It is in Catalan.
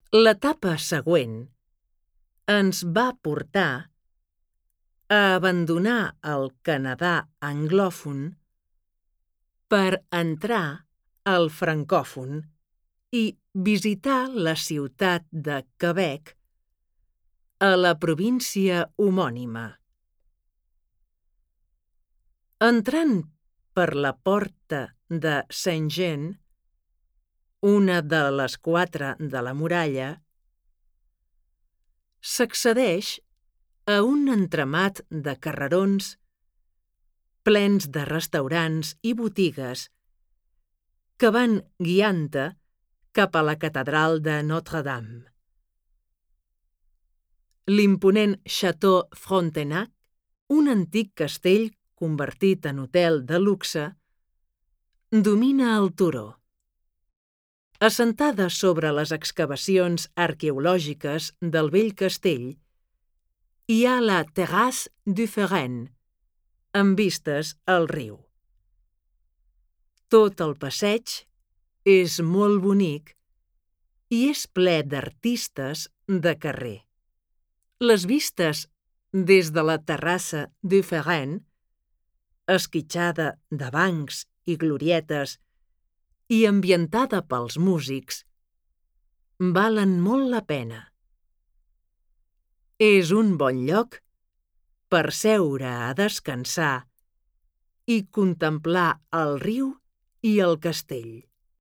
L'etapa següent ens va portar a abandonar el Canadà anglòfon per entrar al francòfon i visitar la ciutat de Quebec a la província homònima. Entrant per la porta de Saint-Jean, una de les 4 de la muralla, s'accedeix a un entramat de carrerons plens de restaurants i botigues que van guiant-te cap a la catedral de Notre-Dame. L'imponent Château Frontenac, un antic castell convertit en hotel de luxe, domina el turó. Assentada sobre les excavacions arqueològiques del vell castell, hi ha la Terrasse du Ferenc, amb vistes al riu. Tot el passeig és molt bonic i és ple d'artistes de carrer. Les vistes des de la Terrasse du Ferenc, esquitxada de bancs i glorietes i ambientada pels músics, valen molt la pena. És un bon lloc per seure a descansar i contemplar el riu i el castell.